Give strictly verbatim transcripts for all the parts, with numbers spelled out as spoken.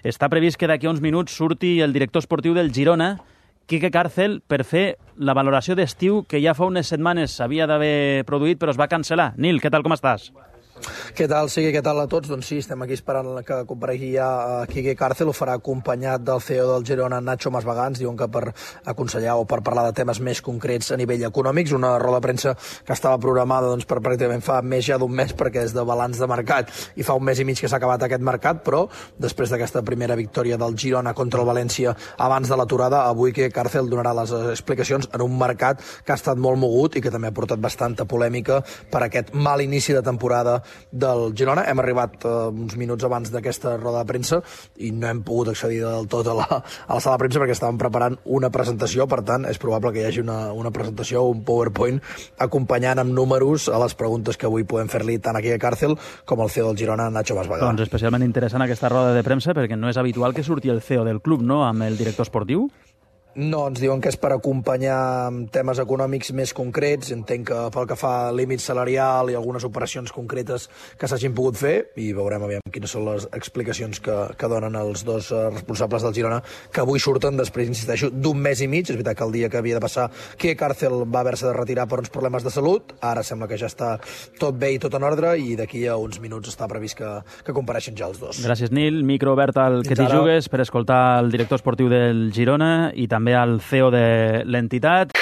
Està previst que d'aquí a uns minuts surti el director esportiu del Girona, Quique Càrcel, per fer la valoració d'estiu que ja fa unes setmanes s'havia d'haver produït, però es va cancel·lar. Nil, què tal, com estàs? Què tal, Sigui, què tal a tots? Doncs sí, estem aquí esperant que comparegui ja Quique Càrcel, ho farà acompanyat del C E O del Girona, Nacho Masvagans, diuen que per aconsellar o per parlar de temes més concrets a nivell econòmics, una roda de premsa que estava programada doncs, per pràcticament fa més ja d'un mes, perquè és de balanç de mercat i fa un mes i mig que s'ha acabat aquest mercat, però després d'aquesta primera victòria del Girona contra el València abans de l'aturada, avui Quique Càrcel donarà les explicacions en un mercat que ha estat molt mogut i que també ha portat bastanta polèmica per aquest mal inici de temporada del Girona. Hem arribat uh, uns minuts abans d'aquesta roda de premsa i no hem pogut accedir del tot a la, a la sala de premsa perquè estàvem preparant una presentació, per tant és probable que hi hagi una, una presentació, un PowerPoint acompanyant amb números a les preguntes que avui podem fer-li tant aquí a Càrcel com al C E O del Girona, Nacho Masvagans. Doncs especialment interessant aquesta roda de premsa perquè no és habitual que surti el C E O del club, no?, amb el director esportiu. No, ens diuen que és per acompanyar temes econòmics més concrets. Entenc que pel que fa a límit salarial i algunes operacions concretes que s'hagin pogut fer, i veurem aviam quines són les explicacions que, que donen els dos responsables del Girona, que avui surten després, insisteixo, d'un mes i mig. És veritat que el dia que havia de passar que Càrcel va haver-se de retirar per uns problemes de salut, ara sembla que ja està tot bé i tot en ordre, i d'aquí a uns minuts està previst que, que compareixen ja els dos. Gràcies, Nil. Micro obert al que t'hi jugues per escoltar el director esportiu del Girona i també al C E O de l'entitat.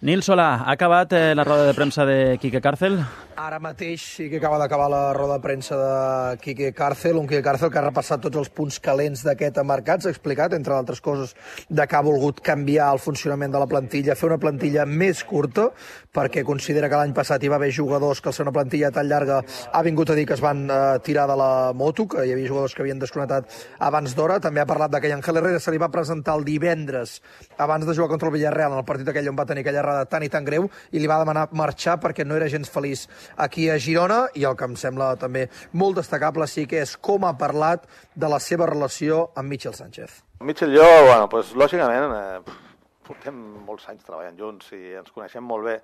Nil Solà, ha acabat eh, la roda de premsa de Quique Càrcel? Ara mateix sí que acaba d'acabar la roda de premsa de Quique Càrcel, un Quique Càrcel que ha repassat tots els punts calents d'aquest mercat, s'ha explicat, entre altres coses, de que ha volgut canviar el funcionament de la plantilla, fer una plantilla més curta, perquè considera que l'any passat hi va haver jugadors que al ser una plantilla tan llarga ha vingut a dir que es van eh, tirar de la moto, que hi havia jugadors que havien desconnectat abans d'hora. També ha parlat de que Ángel Herrera se li va presentar el divendres abans de jugar contra el Villarreal, en el partit aquell on va tenir aquella errada tan i tan greu, i li va demanar marxar perquè no era gens feliç aquí a Girona, i el que em sembla també molt destacable sí que és com ha parlat de la seva relació amb Michel Sánchez. Michel i jo, bueno, pues, lògicament, eh, portem molts anys treballant junts i ens coneixem molt bé.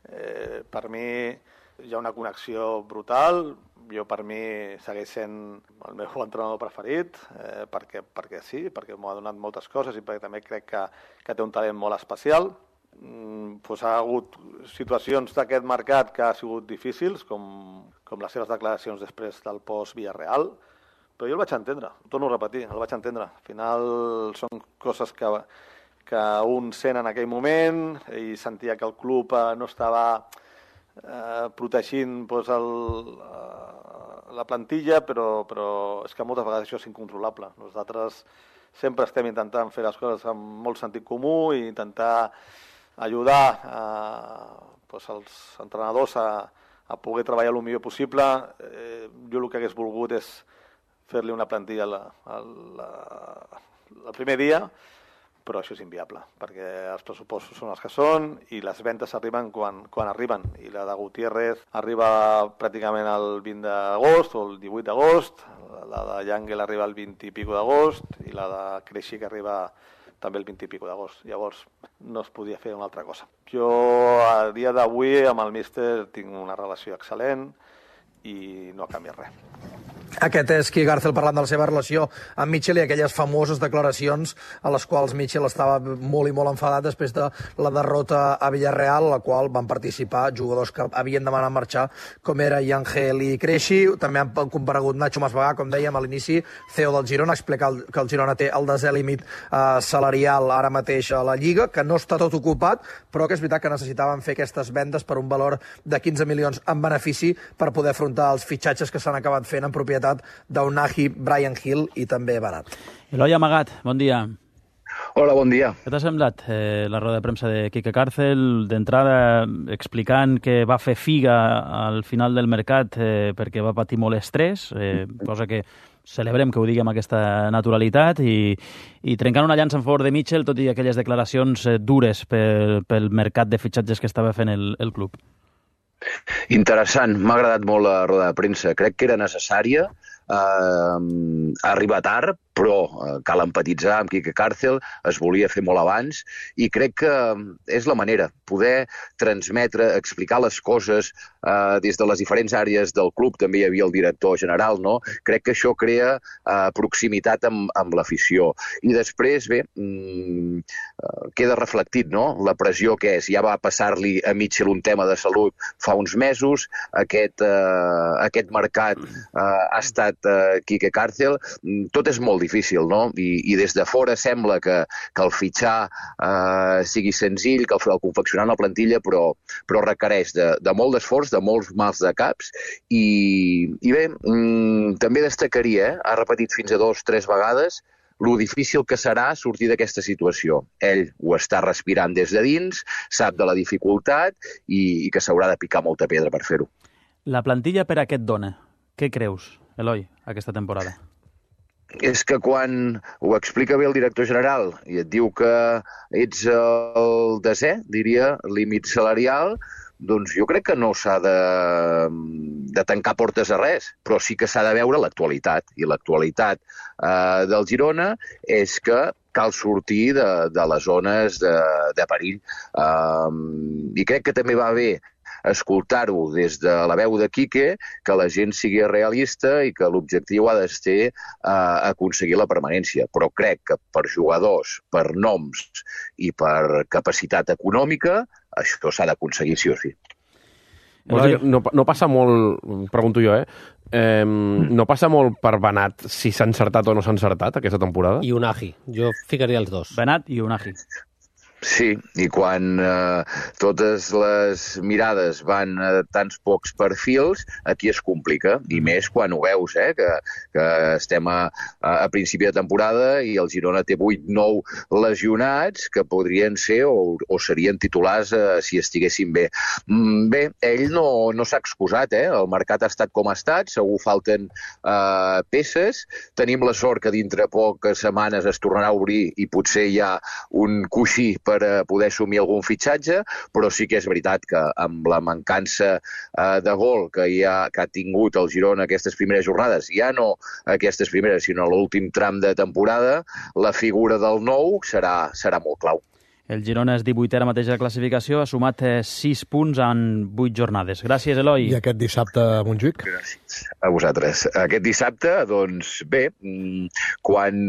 Eh, per mi hi ha una connexió brutal, jo per mi segueix sent el meu entrenador preferit, eh, perquè, perquè sí, perquè m'ha donat moltes coses i perquè també crec que, que té un talent molt especial. Pues ha hagut situacions d'aquest mercat que ha sigut difícils, com, com les seves declaracions després del post-Villarreal, però jo el vaig entendre, ho torno a repetir, el vaig entendre. Al final són coses que, que un sent en aquell moment i sentia que el club eh, no estava eh, protegint pues, el, eh, la plantilla, però, però és que moltes vegades això és incontrolable. Nosaltres sempre estem intentant fer les coses amb molt sentit comú i intentar ajudar eh, pues, els entrenadors a, a poder treballar el millor possible. Eh, jo el que hagués volgut és fer-li una plantilla la, la, el primer dia, però això és inviable, perquè els pressupostos són els que són i les ventes arriben quan, quan arriben. I la de Gutiérrez arriba pràcticament el vint d'agost o el divuit d'agost, la de Yangel arriba el vint i pico d'agost i la de Creixi que arriba també el vint i pico d'agost. Llavors no es podia fer una altra cosa. Jo a dia d'avui amb el míster tinc una relació excel·lent i no ha canviat res. Aquest és Quique Càrcel parlant de la seva relació amb Michel i aquelles famoses declaracions a les quals Michel estava molt i molt enfadat després de la derrota a Villarreal, a la qual van participar jugadors que havien demanat marxar, com era Ángel i Creixi. També han comparegut Nacho Masvagà, com dèiem a l'inici, C E O del Girona, explicar que el Girona té el desè límit eh, salarial ara mateix a la Lliga, que no està tot ocupat, però que és veritat que necessitaven fer aquestes vendes per un valor de quinze milions en benefici per poder afrontar els fitxatges que s'han acabat fent en propietat d'Unahi, Bryan Gil i també Barat. Eloi Amagat, bon dia. Hola, bon dia. Què t'ha semblat eh, la roda de premsa de Quique Càrcel, d'entrada explicant que va fer figa al final del mercat eh, perquè va patir molt estrès, eh, cosa que celebrem que ho digui amb aquesta naturalitat, i, i trencant una llança en favor de Michel, tot i aquelles declaracions eh, dures pel, pel mercat de fitxatges que estava fent el, el club. Interessant, m'ha agradat molt la roda de premsa. Crec que era necessària, eh, arribar tard, però eh, cal empatitzar amb Quique Càrcel, es volia fer molt abans, i crec que és la manera, poder transmetre, explicar les coses eh, des de les diferents àrees del club, també hi havia el director general, no? Crec que això crea eh, proximitat amb, amb l'afició. I després, bé, mm, eh, queda reflectit, no?, la pressió que és. Ja va passar-li a Mitchell un tema de salut fa uns mesos, aquest, eh, aquest mercat eh, ha estat eh, Quique Càrcel, tot és molt difícil, no? I, i des de fora sembla que, que el fitxar eh, sigui senzill, que el, el confeccionar una plantilla, però, però requereix de, de molt d'esforç, de molts mals de caps, i, i bé, mm, també destacaria, eh, ha repetit fins a dos, tres vegades, lo difícil que serà sortir d'aquesta situació. Ell ho està respirant des de dins, sap de la dificultat i, i que s'haurà de picar molta pedra per fer-ho. La plantilla per a què et dona? Què creus, Eloi, aquesta temporada? És que quan ho explica bé el director general i et diu que ets el desè, diria, límit salarial, doncs jo crec que no s'ha de, de tancar portes a res, però sí que s'ha de veure l'actualitat. I l'actualitat eh, del Girona és que cal sortir de, de les zones de, de perill. Um, I crec que també va bé escoltar-ho des de la veu de Quique, que la gent sigui realista i que l'objectiu ha de ser eh, aconseguir la permanència. Però crec que per jugadors, per noms i per capacitat econòmica, això s'ha d'aconseguir sí o sí. No, no passa molt, pregunto jo, eh? eh no passa molt per Benat si s'ha encertat o no s'ha encertat aquesta temporada? I Unagi. Jo ficaria els dos. Benat i Unagi. Sí, i quan eh, totes les mirades van a tants pocs perfils, aquí es complica, i més quan ho veus, eh, que, que estem a, a principi de temporada i el Girona té vuit nou lesionats que podrien ser o, o serien titulars eh, si estiguessin bé. Mm, bé, ell no, no s'ha excusat, eh? El mercat ha estat com ha estat, segur falten eh, peces, tenim la sort que dintre poques setmanes es tornarà a obrir i potser hi ha un coixí per per poder assumir algun fitxatge, però sí que és veritat que amb la mancança eh, de gol que, hi ha, que ha tingut el Girona aquestes primeres jornades, ja no aquestes primeres, sinó l'últim tram de temporada, la figura del nou serà, serà molt clau. El Girona és divuitè ara mateix de classificació, ha sumat sis punts en vuit jornades. Gràcies, Eloi. I aquest dissabte a Montjuïc? Gràcies a vosaltres. Aquest dissabte, doncs bé, quan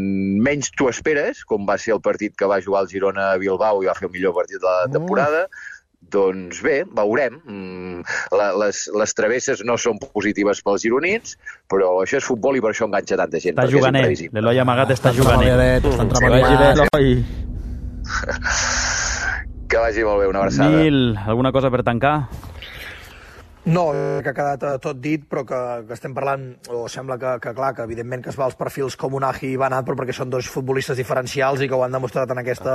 menys t'ho esperes, com va ser el partit que va jugar el Girona a Bilbao i va fer el millor partit de la temporada, mm. doncs bé, veurem. La, les, les travesses no són positives pels gironins, però això és futbol i per això enganxa tanta gent. Està juganer. L'Eloi Amagat ah, està juganer. Està entrebanyadet. Que vagi molt bé, una abraçada. Nil, alguna cosa per tancar? No, que ha quedat tot dit, però que, que estem parlant, o sembla que, que clar, que evidentment que es va als perfils com Unagi i Benat, però perquè són dos futbolistes diferencials i que ho han demostrat en aquest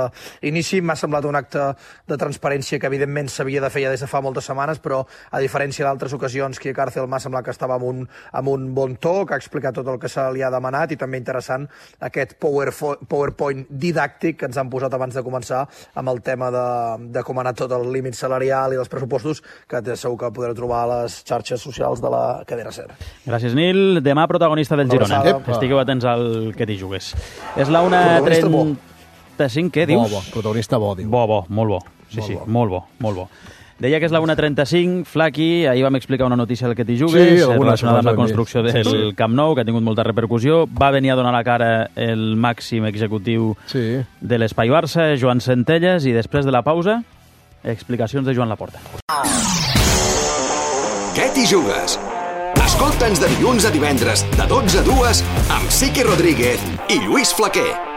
inici. M'ha semblat un acte de transparència que evidentment s'havia de fer ja des de fa moltes setmanes, però a diferència d'altres ocasions, Quique Càrcel m'ha semblat que estava amb un, amb un bon to, que ha explicat tot el que se li ha demanat, i també interessant aquest PowerPoint didàctic que ens han posat abans de començar amb el tema de, de com ha anat tot el límit salarial i dels pressupostos, que segur que podreu trobar a les xarxes socials de la cadena SER. Gràcies, Nil. Demà protagonista del Girona. Estigueu atents al que t'hi jugues. És la una trenta-cinc, què dius? Bo, bo. Protagonista bo, diu. Bo, bo, molt bo. Sí, molt sí, bo. molt bo, molt bo. Deia que és la una trenta-cinc, Flaqui, ahir vam explicar una notícia del que t'hi jugues, sí, relacionada amb la construcció del sí, sí. Camp Nou, que ha tingut molta repercussió. Va venir a donar la cara el màxim executiu sí. de l'Espai Barça, Joan Centelles, i després de la pausa, explicacions de Joan Laporta. Què t'hi jugues? Escolta'ns de dilluns a divendres, de dotze a dues, amb Siqui Rodríguez i Lluís Flaquer.